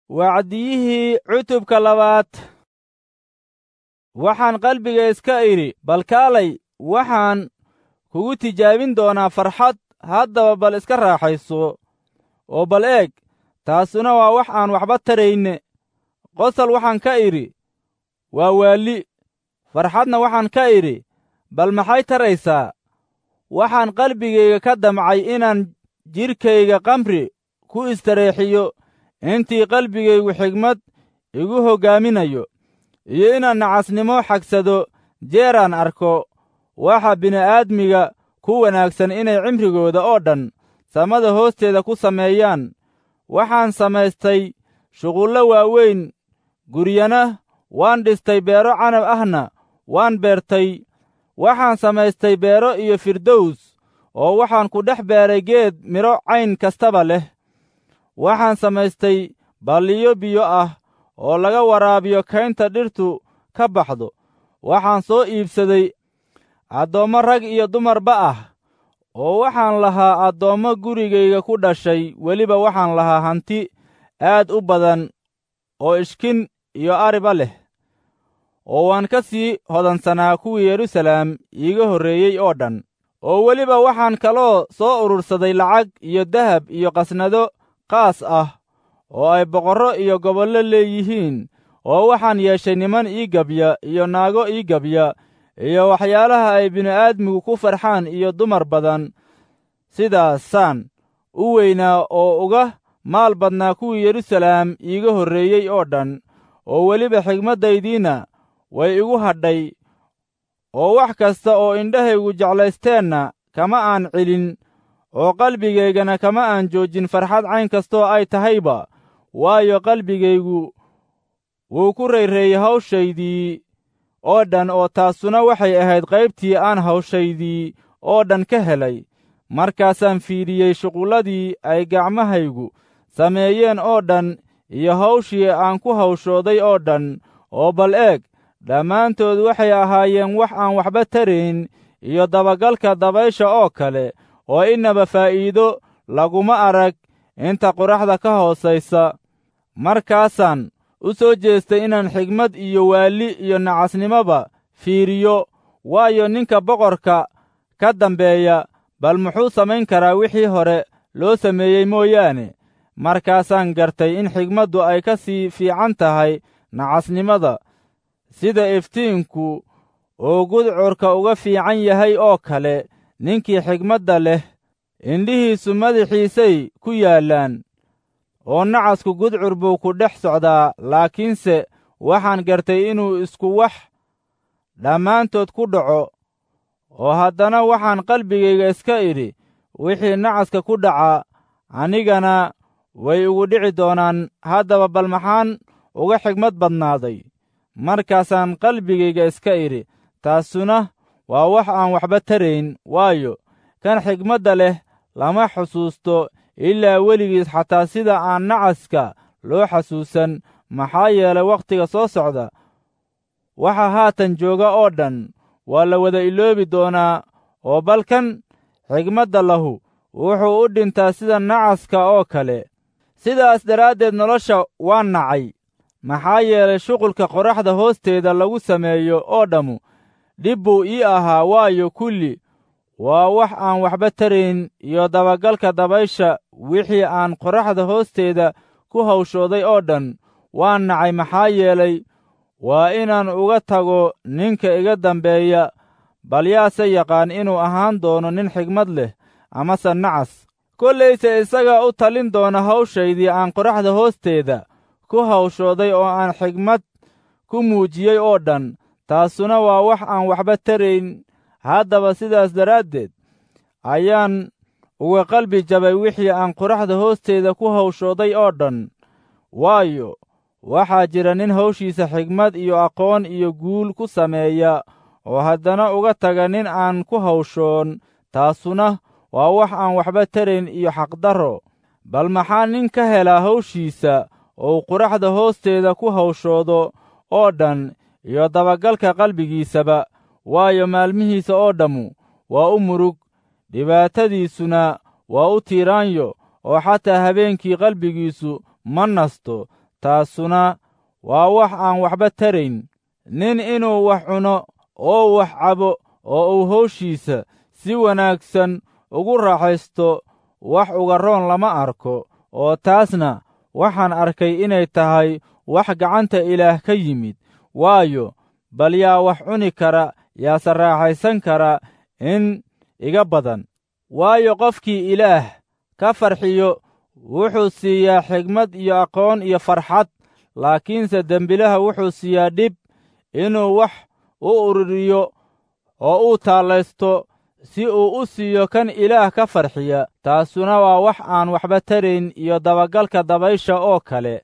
Wacdiyihii cutubka labaad. Waxaan qalbiga iska idhi, bal kaalay, waxaan kugu tijaabin doonaa farxad, haddaba bal iska raaxayso. Oo bal eeg, taasuna waa wax aan waxba tarayne. Qosol waxaan ka idhi, waa waalli. Farxadna waxaan ka idhi, bal maxay taraysaa? Waxaan qalbigayga ka damcay inaan jidhkayga khamri ku istareexiyo intii qalbigaygu xigmad igu hoggaaminayo, iyo inaan nacasnimo xagsado jeeraan arko waxa bini'aadmiga ku wanaagsan inay cimrigooda oo dhan samada hoosteeda ku sameeyaan. Waxaan samaystay shuqullo waaweyn, guryana waan dhistay, beero canab ahna waan beertay. Waxaan samaystay beero iyo firdows, oo waxaan ku dhex beeray geed midho cayn kastaba leh. Waxaan samaystay balliyo biyo ah oo laga waraabiyo kaynta dhirtu ka baxdo. Waxaan soo iibsaday addoommo rag iyo dumarba ah, oo waxaan lahaa addoommo gurigayga ku dhashay. Weliba waxaan lahaa hanti aad u badan oo ishkin iyo ariba leh, oo waan ka sii hodansanaa kuwii Yeruusalaam iiga horreeyey oo dhan. Oo weliba waxaan kaloo soo urursaday lacag iyo dahab iyo qasnado qaas ah oo ay boqorro iyo gobollo leeyihiin, oo waxaan yeeshay niman ii gabya iyo naago ii gabya iyo waxyaalaha ay bini'aadmigu ku farxaan iyo dumar badan. Sidaasaan u weynaa oo uga maal badnaa kuwii Yeruusalaam iiga horreeyey oo dhan, oo weliba xigmaddaydiinna way igu hadhay, oo wax kasta oo indhahaygu jeclaysteenna kama aan celin, oo qalbigaygana kama aan joojin farxad cayn kastoo ay tahayba. Waayo, qalbigaygu wuu ku rayreeyey hawshaydii oo dhan, oo taasuna waxay ahayd qaybtii aan hawshaydii oo dhan ka helay. Markaasaan fiidhiyey shuqulladii ay gacmahaygu sameeyeen oo dhan iyo hawshii aan ku hawshooday oo dhan, oo bal eeg, dhammaantood waxay ahaayeen wax aan waxba tarayn iyo dabagalka dabaysha oo kale, oo innaba faa'iido laguma arag inta qoraxda ka hoosaysa. Markaasaan u soo jeestay inaan xigmad iyo waalli iyo nacasnimoba fiiriyo, waayo, ninka boqorka ka dambeeya bal muxuu samayn karaa wixii hore loo sameeyey mooyaane? Markaasaan gartay in xigmaddu ay ka sii fiican tahay nacasnimada, sida iftiinku uu gudcurka uga fiican yahay oo kale. Ninkii xigmadda leh indhihiisu madaxiisay ku yaallaan, oo nacasku gudcur buu ku dhex socdaa. Laakiinse waxaan gartay inuu isku wax dhammaantood ku dhaco. Oo haddana waxaan qalbigayga iska idhi, wixii nacaska ku dhaca anigana way igu dhici doonaan, haddaba bal maxaan uga xigmad badnaaday? Markaasaan qalbigayga iska idhi, taasuna waa wax aan waxba tarayn, waayo, kan xigmadda leh lama xusuusto ilaa weligiis, xataa sida aan nacaska loo xasuusan. Maxaa yeelay, wakhtiga soo socda waxa haatan jooga oo dhan waa la wada iloobi doonaa, oo bal kan xigmadda lahu wuxuu u dhintaa sida nacaska oo kale. Sidaas daraaddeed nolosha waan nacay, maxaa yeelay, shuqulka qoraxda hoosteeda lagu sameeyo oo dhammu dhib buu ii ahaa, waayo, kulli waa wax aan waxba tarayn iyo dabagalka dabaysha. Wixii aan qoraxda hoosteeda ku hawshooday oo dhan waan nacay, maxaa yeelay, waa inaan uga tago ninka iga dambeeya. Bal yaase yaqaan inuu ahaan doono nin xigmad leh amase nacas? Kollayse isagaa u talin doona hawshaydii aan qoraxda hoosteeda ku hawshooday oo aan xigmad ku muujiyey oo dhan. Taasuna waa wax aan waxba tarayn. Haddaba sidaas daraaddeed ayaan uga qalbi jabay wixii aan qoraxda hoosteeda ku hawshooday oo dhan, waayo, waxaa jira nin hawshiisa xigmad iyo aqoon iyo guul ku sameeya, oo haddana uga taga nin aan ku hawshoon. Taasuna waa wax aan waxba tarayn iyo xaqdarro. Bal maxaa nin ka helaa hawshiisa oo uu qoraxda hoosteeda ku hawshoodo oo dhan iyo dabagalka qalbigiisaba? Waayo, maalmihiisa oo dhammu waa u murug, dhibaatadiisuna waa u tiiraanyo, oo xataa habeenkii qalbigiisu ma nasto. Taasuna waa wax aan waxba tarayn. Nin inuu wax cuno oo wax cabo oo uu hawshiisa si wanaagsan ugu raaxaysto wax uga roon lama arko, oo taasna waxaan arkay inay tahay wax gacanta Ilaah ka yimid. Waayo, bal yaa wax cuni kara, yaase raaxaysan kara in iga badan? Waayo, qofkii Ilaah ka farxiyo wuxuu siiyaa xigmad iyo aqoon iyo farxad, laakiinse dembilaha wuxuu siiyaa dhib inuu wax u ururiyo oo uu taallaysto si uu u siiyo kan Ilaah ka farxiya. Taasuna waa wax aan waxba tarayn iyo dabagalka dabaysha oo kale.